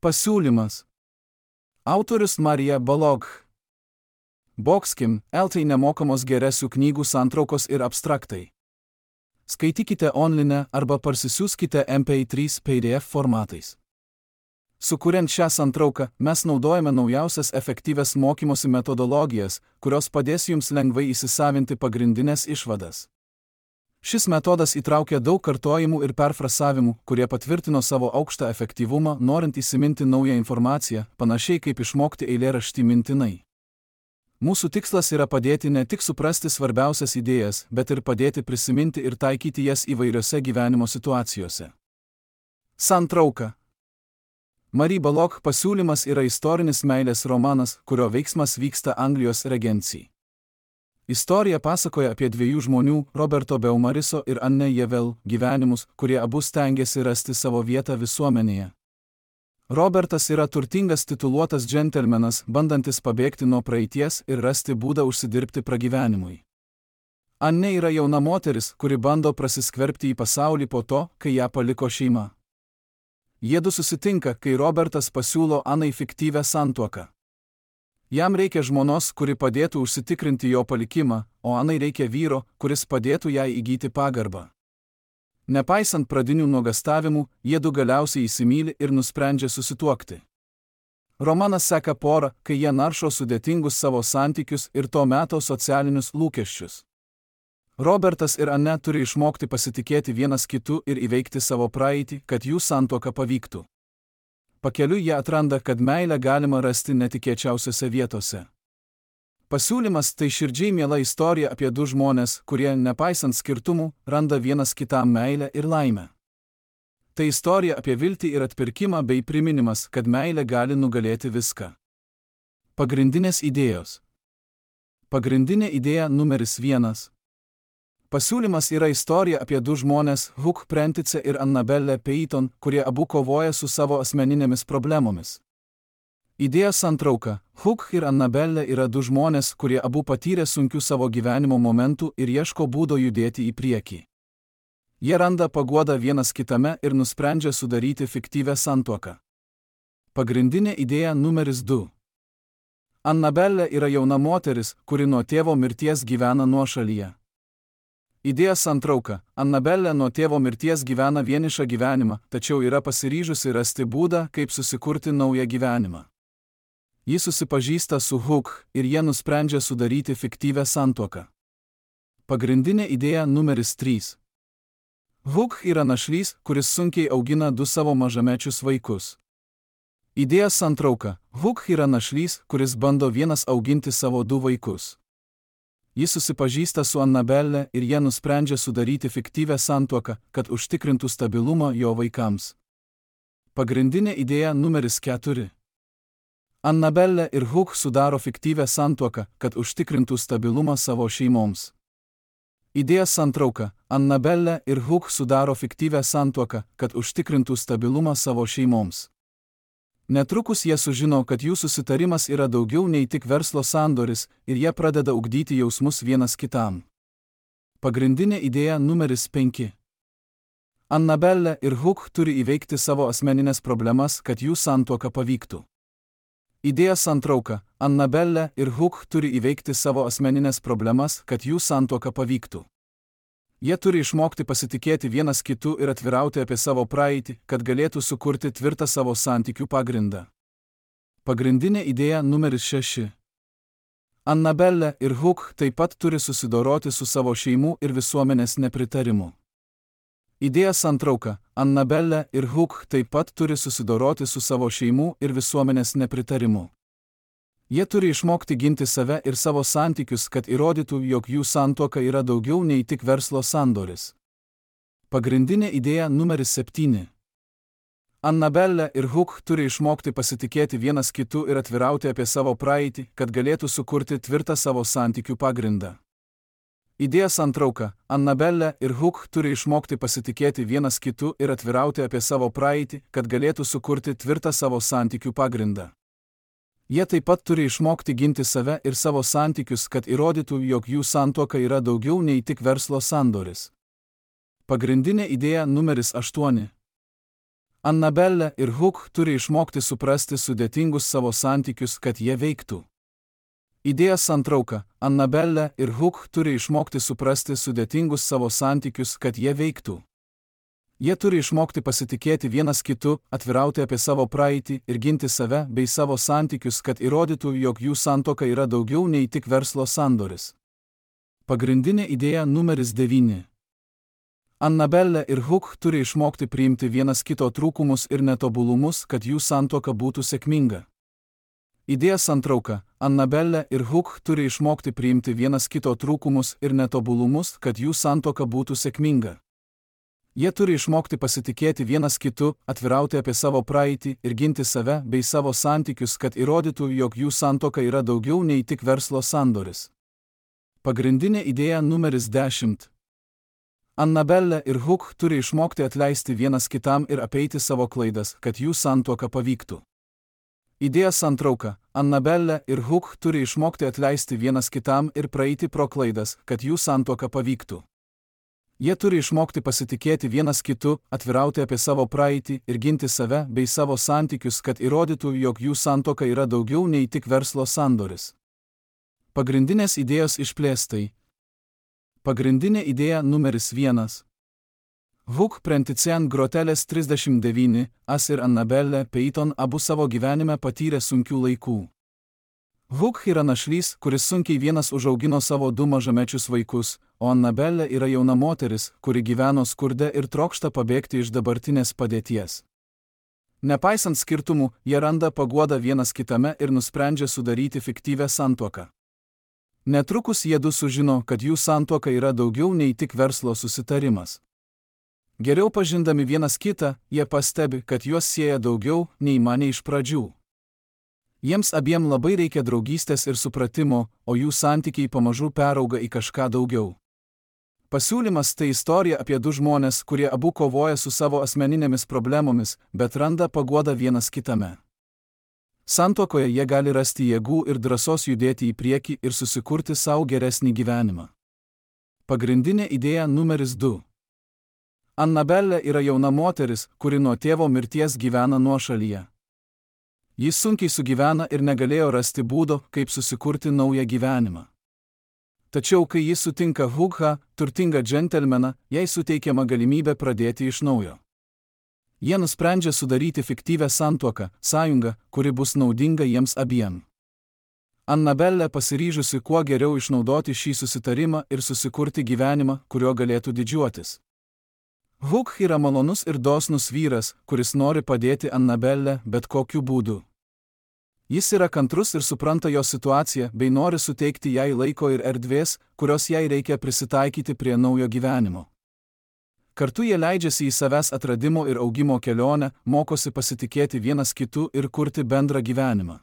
Pasiūlymas. Autorius Marija Balog. Boxkim, LT nemokamos geresių knygų santraukos ir abstraktai. Skaitykite online arba parsisiųskite MP3 PDF formatais. Sukuriant šią santrauką, mes naudojame naujausias efektyvias mokymosi metodologijas, kurios padės jums lengvai įsisavinti pagrindinės išvadas. Šis metodas įtraukia daug kartojimų ir perfrasavimų, kurie patvirtino savo aukštą efektyvumą, norint įsiminti naują informaciją, panašiai kaip išmokti eilėraštį mintinai. Mūsų tikslas yra padėti ne tik suprasti svarbiausias idėjas, bet ir padėti prisiminti ir taikyti jas įvairiose gyvenimo situacijose. Santrauka. Marija Balog pasiūlymas yra istorinis meilės romanas, kurio veiksmas vyksta Anglijos regencijai. Istorija pasakoja apie dviejų žmonių, Roberto Beaumariso ir Anne Jevel, gyvenimus, kurie abu stengiasi rasti savo vietą visuomenėje. Robertas yra turtingas tituluotas džentelmenas, bandantis pabėgti nuo praeities ir rasti būdą užsidirbti pragyvenimui. Anne yra jauna moteris, kuri bando prasiskverbti į pasaulį po to, kai ją paliko šeima. Jiedu susitinka, kai Robertas pasiūlo Anai fiktyvią santuoką. Jam reikia žmonos, kuri padėtų užsitikrinti jo palikimą, o Anai reikia vyro, kuris padėtų jai įgyti pagarbą. Nepaisant pradinių nuogastavimų, jiedu galiausiai įsimyli ir nusprendžia susituokti. Romanas seka porą, kai jie naršo sudėtingus savo santykius ir to meto socialinius lūkesčius. Robertas ir Anne turi išmokti pasitikėti vienas kitu ir įveikti savo praeitį, kad jų santuoka pavyktų. Pakeliui jie atranda, kad meilę galima rasti netikėčiausiose vietose. Pasiūlymas tai širdžiai miela istorija apie du žmonės, kurie, nepaisant skirtumų, randa vienas kitam meilę ir laimę. Tai istorija apie viltį ir atpirkimą bei priminimas, kad meilė gali nugalėti viską. Pagrindinės idėjos. Pagrindinė idėja numeris 1. Pasiūlymas yra istorija apie du žmonės, Hugh Prentice ir Annabelle Peyton, kurie abu kovoja su savo asmeninėmis problemomis. Idėja santrauka. Hugh ir Annabelle yra du žmonės, kurie abu patyrė sunkių savo gyvenimo momentų ir ieško būdo judėti į priekį. Jie randa paguodą vienas kitame ir nusprendžia sudaryti fiktyvią santuoką. Pagrindinė idėja numeris 2. Annabelle yra jauna moteris, kuri nuo tėvo mirties gyvena nuošalyje. Idėja santrauka. Annabelle nuo tėvo mirties gyvena vienišą gyvenimą, tačiau yra pasiryžusi rasti būdą, kaip susikurti naują gyvenimą. Ji susipažįsta su Hugh ir jie nusprendžia sudaryti fiktyvią santuoką. Pagrindinė idėja numeris 3. Hugh yra našlys, kuris sunkiai augina du savo mažamečius vaikus. Idėja santrauka. Hugh yra našlys, kuris bando vienas auginti savo du vaikus. Jis susipažįsta su Annabelle ir jie nusprendžia sudaryti fiktyvią santuoką, kad užtikrintų stabilumą jo vaikams. Pagrindinė idėja numeris 4. Annabelle ir Hugh sudaro fiktyvią santuoką, kad užtikrintų stabilumą savo šeimoms. Idėja santrauka. Annabelle ir Hugh sudaro fiktyvią santuoką, kad užtikrintų stabilumą savo šeimoms. Netrukus jie sužino, kad jų susitarimas yra daugiau nei tik verslo sandoris ir jie pradeda ugdyti jausmus vienas kitam. Pagrindinė idėja numeris 5. Annabelle ir Hugh turi įveikti savo asmeninės problemas, kad jų santuoka pavyktų. Idėja santrauka. Annabelle ir Hugh turi įveikti savo asmeninės problemas, kad jų santuoka pavyktų. Jie turi išmokti pasitikėti vienas kitu ir atvirauti apie savo praeitį, kad galėtų sukurti tvirtą savo santykių pagrindą. Pagrindinė idėja numeris 6. Annabelle ir Hugh taip pat turi susidoroti su savo šeimų ir visuomenės nepritarimu. Idėja santrauka. Annabelle ir Hugh taip pat turi susidoroti su savo šeimų ir visuomenės nepritarimu. Jie turi išmokti ginti save ir savo santykius, kad įrodytų, jog jų santuoka yra daugiau nei tik verslo sandoris. Pagrindinė idėja numeris 7. Annabelle ir Hugh turi išmokti pasitikėti vienas kitu ir atvirauti apie savo praeitį, kad galėtų sukurti tvirtą savo santykių pagrindą. Idėja santrauka. Annabelle ir Hugh turi išmokti pasitikėti vienas kitu ir atvirauti apie savo praeitį, kad galėtų sukurti tvirtą savo santykių pagrindą. Jie taip pat turi išmokti ginti save ir savo santykius, kad įrodytų, jog jų santuoka yra daugiau nei tik verslo sandoris. Pagrindinė idėja numeris 8. Annabelle ir Hook turi išmokti suprasti sudėtingus savo santykius, kad jie veiktų. Idėjos santrauka. Annabelle ir Hook turi išmokti suprasti sudėtingus savo santykius, kad jie veiktų. Jie turi išmokti pasitikėti vienas kitu, atvirauti apie savo praeitį ir ginti save bei savo santykius, kad įrodytų, jog jų santuoka yra daugiau nei tik verslo sandoris. Pagrindinė idėja numeris 9. Annabelle ir Hook turi išmokti priimti vienas kito trūkumus ir netobulumus, kad jų santuoka būtų sėkminga. Idėja santrauka. Annabelle ir Hook turi išmokti priimti vienas kito trūkumus ir netobulumus, kad jų santuoka būtų sėkminga. Jie turi išmokti pasitikėti vienas kitu, atvirauti apie savo praeitį ir ginti save bei savo santykius, kad įrodytų, jog jų santuoka yra daugiau nei tik verslo sandoris. Pagrindinė idėja numeris 10. Annabelle ir Hook turi išmokti atleisti vienas kitam ir apeiti savo klaidas, kad jų santuoka pavyktų. Idėja santrauka. Annabelle ir Hook turi išmokti atleisti vienas kitam ir praeiti pro klaidas, kad jų santuoka pavyktų. Jie turi išmokti pasitikėti vienas kitu, atvirauti apie savo praeitį ir ginti save bei savo santykius, kad įrodytų, jog jų santuoka yra daugiau nei tik verslo sandoris. Pagrindinės idėjos išplėstai. Pagrindinė idėja numeris 1. Hook Prenticen Grotelės 39, As ir Annabelle Peyton abu savo gyvenime patyrė sunkių laikų. Hook yra našlys, kuris sunkiai vienas užaugino savo 2 mažamečius vaikus, o Annabelle yra jauna moteris, kuri gyveno skurde ir trokšta pabėgti iš dabartinės padėties. Nepaisant skirtumų, jie randa paguodą vienas kitame ir nusprendžia sudaryti fiktyvią santuoką. Netrukus jie du sužino, kad jų santuoka yra daugiau nei tik verslo susitarimas. Geriau pažindami vienas kitą, jie pastebi, kad juos sieja daugiau, nei manė iš pradžių. Jiems abiem labai reikia draugystės ir supratimo, o jų santykiai pamažu perauga į kažką daugiau. Pasiūlymas tai istorija apie 2 žmonės, kurie abu kovoja su savo asmeninėmis problemomis, bet randa paguodą vienas kitame. Santuokoje jie gali rasti jėgų ir drąsos judėti į priekį ir susikurti savo geresnį gyvenimą. Pagrindinė idėja numeris 2. Annabelle yra jauna moteris, kuri nuo tėvo mirties gyvena nuošalyje. Jis sunkiai sugyvena ir negalėjo rasti būdo, kaip susikurti naują gyvenimą. Tačiau, kai jis sutinka Hooką, turtingą džentelmeną, jai suteikiama galimybė pradėti iš naujo. Jie nusprendžia sudaryti fiktyvią santuoką, sąjungą, kuri bus naudinga jiems abiem. Annabelle pasiryžusi kuo geriau išnaudoti šį susitarimą ir susikurti gyvenimą, kuriuo galėtų didžiuotis. Hook yra malonus ir dosnus vyras, kuris nori padėti Annabelle bet kokiu būdu. Jis yra kantrus ir supranta jos situaciją, bei nori suteikti jai laiko ir erdvės, kurios jai reikia prisitaikyti prie naujo gyvenimo. Kartu jie leidžiasi į savęs atradimo ir augimo kelionę, mokosi pasitikėti vienas kitu ir kurti bendrą gyvenimą.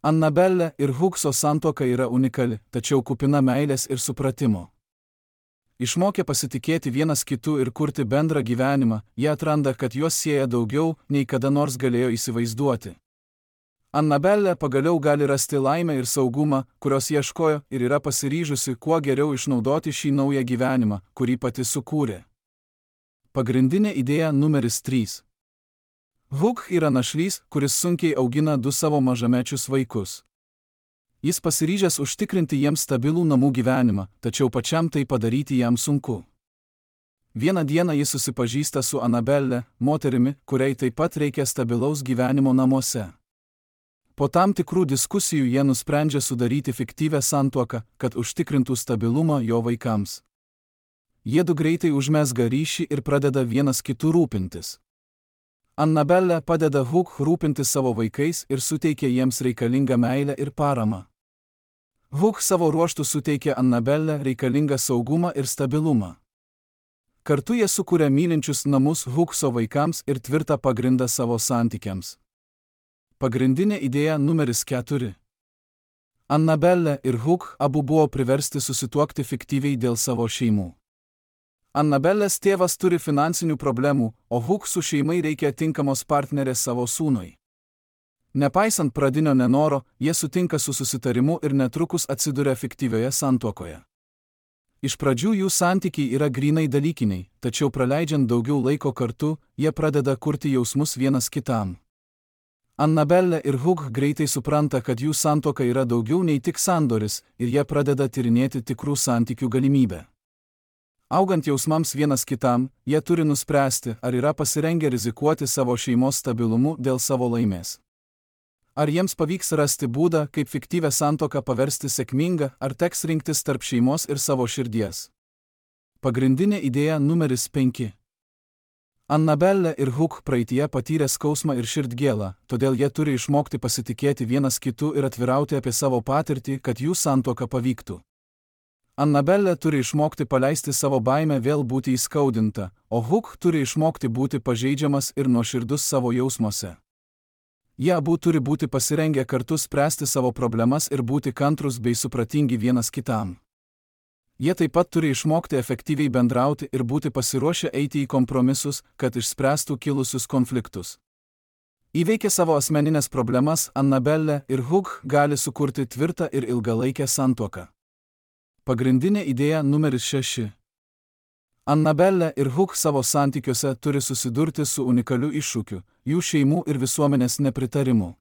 Annabelle ir Hookso santuoka yra unikali, tačiau kupina meilės ir supratimo. Išmokę pasitikėti vienas kitu ir kurti bendrą gyvenimą, jie atranda, kad juos sieja daugiau, nei kada nors galėjo įsivaizduoti. Annabelle pagaliau gali rasti laimę ir saugumą, kurios ieškojo, ir yra pasiryžusi kuo geriau išnaudoti šį naują gyvenimą, kurį pati sukūrė. Pagrindinė idėja numeris 3. Hook yra našlys, kuris sunkiai augina 2 savo mažamečius vaikus. Jis pasiryžęs užtikrinti jiems stabilų namų gyvenimą, tačiau pačiam tai padaryti jam sunku. Vieną dieną jis susipažįsta su Annabelle, moterimi, kuriai taip pat reikia stabilaus gyvenimo namuose. Po tam tikrų diskusijų jie nusprendžia sudaryti fiktyvią santuoką, kad užtikrintų stabilumą jo vaikams. Jiedu greitai užmezga ryšį ir pradeda vienas kitų rūpintis. Annabelle padeda Hook rūpintis savo vaikais ir suteikia jiems reikalingą meilę ir paramą. Hook savo ruožtu suteikia Annabelle reikalingą saugumą ir stabilumą. Kartu jie sukuria mylinčius namus Hookso vaikams ir tvirtą pagrindą savo santykiams. Pagrindinė idėja numeris 4. Annabelle ir Hook abu buvo priversti susituokti fiktyviai dėl savo šeimų. Annabellės tėvas turi finansinių problemų, o Hooksų šeimai reikia tinkamos partnerės savo sūnui. Nepaisant pradinio nenoro, jie sutinka su susitarimu ir netrukus atsiduria fiktyvioje santuokoje. Iš pradžių jų santykiai yra grynai dalykiniai, tačiau praleidžiant daugiau laiko kartu, jie pradeda kurti jausmus vienas kitam. Annabelle ir Hugh greitai supranta, kad jų santuoka yra daugiau nei tik sandoris, ir jie pradeda tyrinėti tikrų santykių galimybę. Augant jausmams vienas kitam, jie turi nuspręsti, ar yra pasirengę rizikuoti savo šeimos stabilumu dėl savo laimės. Ar jiems pavyks rasti būdą, kaip fiktyvę santuoką paversti sėkmingą, ar teks rinktis tarp šeimos ir savo širdies. Pagrindinė idėja numeris 5. Annabelle ir Hugh praeityje patyrė skausmą ir širdgėlą, todėl jie turi išmokti pasitikėti vienas kitu ir atvirauti apie savo patirtį, kad jų santuoka pavyktų. Annabelle turi išmokti paleisti savo baimę vėl būti įskaudinta, o Hugh turi išmokti būti pažeidžiamas ir nuoširdus savo jausmuose. Jie abu turi būti pasirengę kartu spręsti savo problemas ir būti kantrus bei supratingi vienas kitam. Jie taip pat turi išmokti efektyviai bendrauti ir būti pasiruošę eiti į kompromisus, kad išspręstų kilusius konfliktus. Įveikę savo asmeninės problemas, Annabelle ir Hugh gali sukurti tvirtą ir ilgalaikę santuoką. Pagrindinė idėja numeris 6. Annabelle ir Hugh savo santykiuose turi susidurti su unikaliu iššūkiu – jų šeimų ir visuomenės nepritarimu.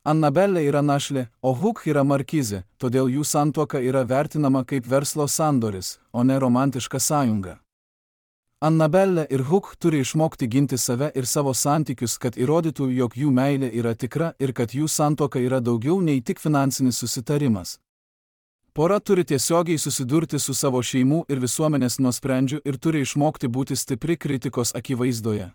Annabelle yra našlė, o Hugh yra markizė, todėl jų santuoka yra vertinama kaip verslo sandoris, o ne romantiška sąjunga. Annabelle ir Hugh turi išmokti ginti save ir savo santykius, kad įrodytų, jog jų meilė yra tikra ir kad jų santuoka yra daugiau nei tik finansinis susitarimas. Pora turi tiesiogiai susidurti su savo šeimų ir visuomenės nuosprendžiu ir turi išmokti būti stipri kritikos akivaizdoje.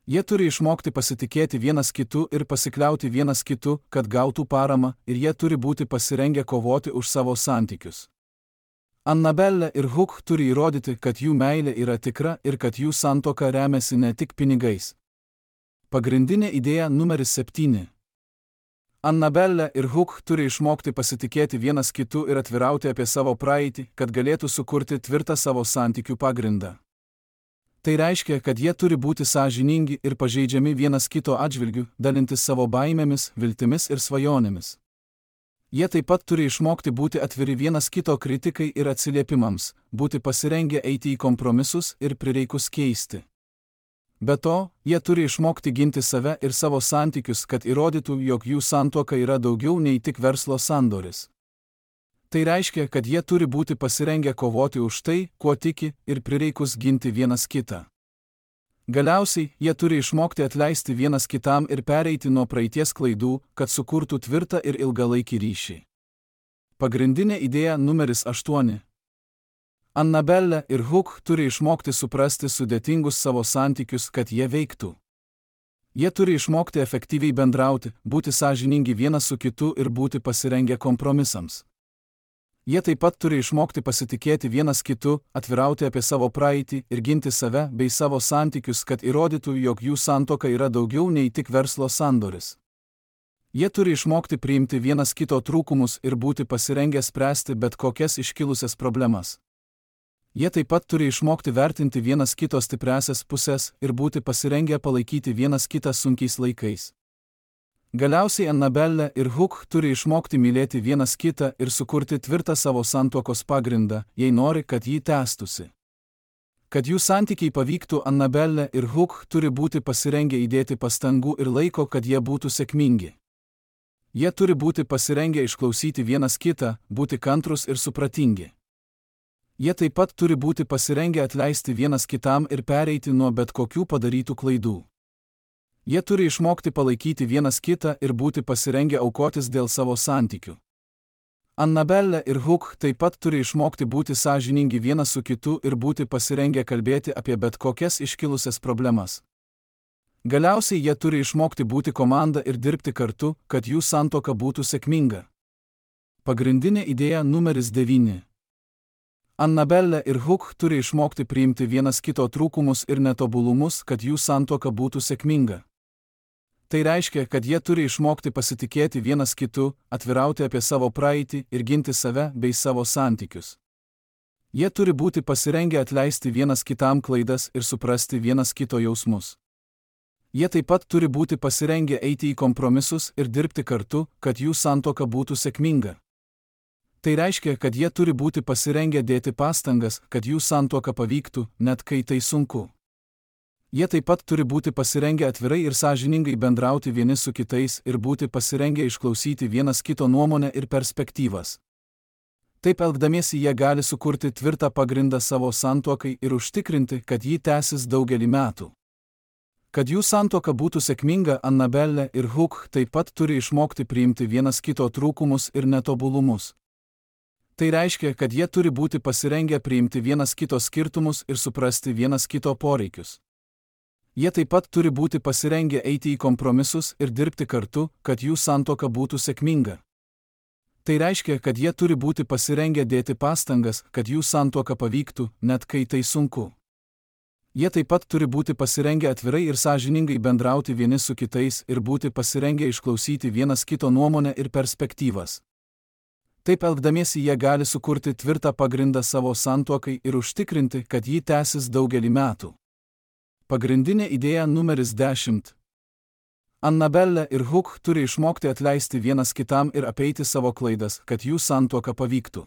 Jie turi išmokti pasitikėti vienas kitu ir pasikliauti vienas kitu, kad gautų paramą, ir jie turi būti pasirengę kovoti už savo santykius. Annabelle ir Hugh turi įrodyti, kad jų meilė yra tikra ir kad jų santuoka remiasi ne tik pinigais. Pagrindinė idėja numeris 7. Annabelle ir Hugh turi išmokti pasitikėti vienas kitu ir atvirauti apie savo praeitį, kad galėtų sukurti tvirtą savo santykių pagrindą. Tai reiškia, kad jie turi būti sąžiningi ir pažeidžiami vienas kito atžvilgiu, dalintis savo baimėmis, viltimis ir svajonėmis. Jie taip pat turi išmokti būti atviri vienas kito kritikai ir atsiliepimams, būti pasirengę eiti į kompromisus ir prireikus keisti. Be to, jie turi išmokti ginti save ir savo santykius, kad įrodytų, jog jų santuoka yra daugiau nei tik verslo sandoris. Tai reiškia, kad jie turi būti pasirengę kovoti už tai, kuo tiki, ir prireikus ginti vienas kitą. Galiausiai, jie turi išmokti atleisti vienas kitam ir pereiti nuo praeities klaidų, kad sukurtų tvirtą ir ilgalaikį ryšį. Pagrindinė idėja numeris 8. Annabelle ir Hugh turi išmokti suprasti sudėtingus savo santykius, kad jie veiktų. Jie turi išmokti efektyviai bendrauti, būti sąžiningi vienas su kitu ir būti pasirengę kompromisams. Jie taip pat turi išmokti pasitikėti vienas kitu, atvirauti apie savo praeitį ir ginti save bei savo santykius, kad įrodytų, jog jų santuoka yra daugiau nei tik verslo sandoris. Jie turi išmokti priimti vienas kito trūkumus ir būti pasirengę spręsti bet kokias iškilusias problemas. Jie taip pat turi išmokti vertinti vienas kito stipriąsias pusės ir būti pasirengę palaikyti vienas kitą sunkiais laikais. Galiausiai Annabelle ir Hugh turi išmokti mylėti vienas kitą ir sukurti tvirtą savo santuokos pagrindą, jei nori, kad jį tęstųsi. Kad jų santykiai pavyktų, Annabelle ir Hugh turi būti pasirengę įdėti pastangų ir laiko, kad jie būtų sėkmingi. Jie turi būti pasirengę išklausyti vienas kitą, būti kantrus ir supratingi. Jie taip pat turi būti pasirengę atleisti vienas kitam ir pereiti nuo bet kokių padarytų klaidų. Jie turi išmokti palaikyti vienas kitą ir būti pasirengę aukotis dėl savo santykių. Annabelle ir Hugh taip pat turi išmokti būti sąžiningi vienas su kitu ir būti pasirengę kalbėti apie bet kokias iškilusias problemas. Galiausiai jie turi išmokti būti komanda ir dirbti kartu, kad jų santuoka būtų sėkminga. Pagrindinė idėja numeris 9. Annabelle ir Hugh turi išmokti priimti vienas kito trūkumus ir netobulumus, kad jų santuoka būtų sėkminga. Tai reiškia, kad jie turi išmokti pasitikėti vienas kitu, atvirauti apie savo praeitį ir ginti save bei savo santykius. Jie turi būti pasirengę atleisti vienas kitam klaidas ir suprasti vienas kito jausmus. Jie taip pat turi būti pasirengę eiti į kompromisus ir dirbti kartu, kad jų santuoka būtų sėkminga. Tai reiškia, kad jie turi būti pasirengę dėti pastangas, kad jų santuoka pavyktų, net kai tai sunku. Jie taip pat turi būti pasirengę atvirai ir sąžiningai bendrauti vieni su kitais ir būti pasirengę išklausyti vienas kito nuomonę ir perspektyvas. Taip elgdamiesi jie gali sukurti tvirtą pagrindą savo santuokai ir užtikrinti, kad ji tęsis daugelį metų. Kad jų santuoka būtų sėkminga, Annabelle ir Hugh taip pat turi išmokti priimti vienas kito trūkumus ir netobulumus. Tai reiškia, kad jie turi būti pasirengę priimti vienas kito skirtumus ir suprasti vienas kito poreikius. Jie taip pat turi būti pasirengę eiti į kompromisus ir dirbti kartu, kad jų santuoka būtų sėkminga. Tai reiškia, kad jie turi būti pasirengę dėti pastangas, kad jų santuoka pavyktų, net kai tai sunku. Jie taip pat turi būti pasirengę atvirai ir sąžiningai bendrauti vieni su kitais ir būti pasirengę išklausyti vienas kito nuomonę ir perspektyvas. Taip elgdamiesi jie gali sukurti tvirtą pagrindą savo santuokai ir užtikrinti, kad ji tęsis daugelį metų. Pagrindinė idėja numeris 10. Annabelle ir Hugh turi išmokti atleisti vienas kitam ir apeiti savo klaidas, kad jų santuoka pavyktų.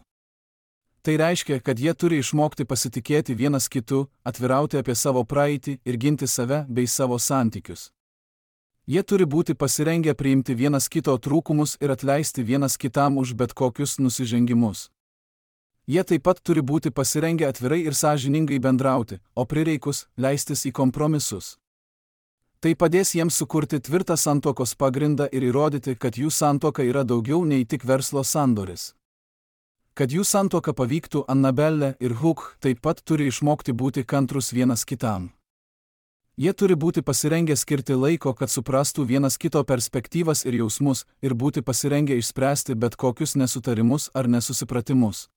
Tai reiškia, kad jie turi išmokti pasitikėti vienas kitu, atvirauti apie savo praeitį ir ginti save bei savo santykius. Jie turi būti pasirengę priimti vienas kito trūkumus ir atleisti vienas kitam už bet kokius nusižengimus. Jie taip pat turi būti pasirengę atvirai ir sąžiningai bendrauti, o prireikus leistis į kompromisus. Tai padės jiems sukurti tvirtą santuokos pagrindą ir įrodyti, kad jų santuoka yra daugiau nei tik verslo sandoris. Kad jų santuoka pavyktų, Annabelle ir Hugh taip pat turi išmokti būti kantrus vienas kitam. Jie turi būti pasirengę skirti laiko, kad suprastų vienas kito perspektyvas ir jausmus, ir būti pasirengę išspręsti bet kokius nesutarimus ar nesusipratimus.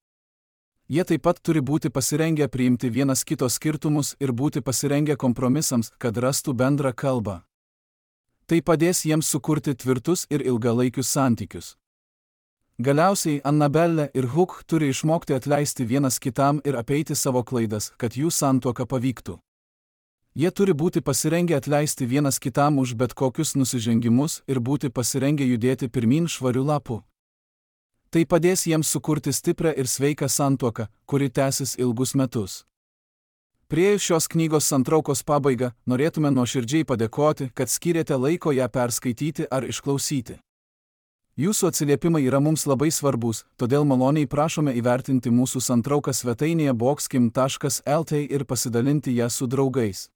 Jie taip pat turi būti pasirengę priimti vienas kito skirtumus ir būti pasirengę kompromisams, kad rastų bendrą kalbą. Tai padės jiems sukurti tvirtus ir ilgalaikius santykius. Galiausiai Annabelle ir Hugh turi išmokti atleisti vienas kitam ir apeiti savo klaidas, kad jų santuoka pavyktų. Jie turi būti pasirengę atleisti vienas kitam už bet kokius nusižengimus ir būti pasirengę judėti pirmyn švariu lapu. Tai padės jiems sukurti stiprią ir sveiką santuoką, kuri tęsis ilgus metus. Priėjus šios knygos santraukos pabaigą, norėtume nuoširdžiai padėkoti, kad skyrėte laiko ją perskaityti ar išklausyti. Jūsų atsiliepimai yra mums labai svarbus, todėl maloniai prašome įvertinti mūsų santrauką svetainėje boxkim.lt ir pasidalinti ją su draugais.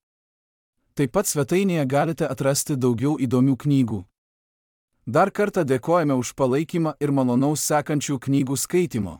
Taip pat svetainėje galite atrasti daugiau įdomių knygų. Dar kartą dėkojame už palaikymą ir malonaus sekančių knygų skaitimo.